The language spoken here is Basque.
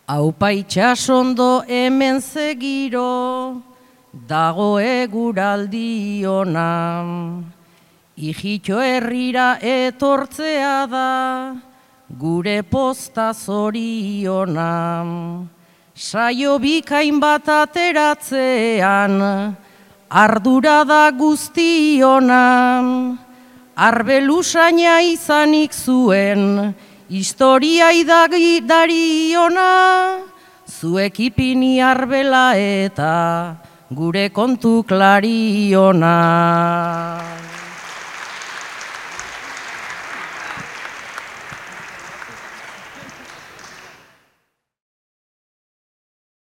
Aupa itxasondo hemen zegiro, dago eguraldi ona. Ijito herrira etortzea da, gure posta zoriona. Saio bikain bat ateratzean, ardura da guztiona. Arbelusaina izanik zuen, historia idariona. Zuek ipini arbela eta gure kontu klariona.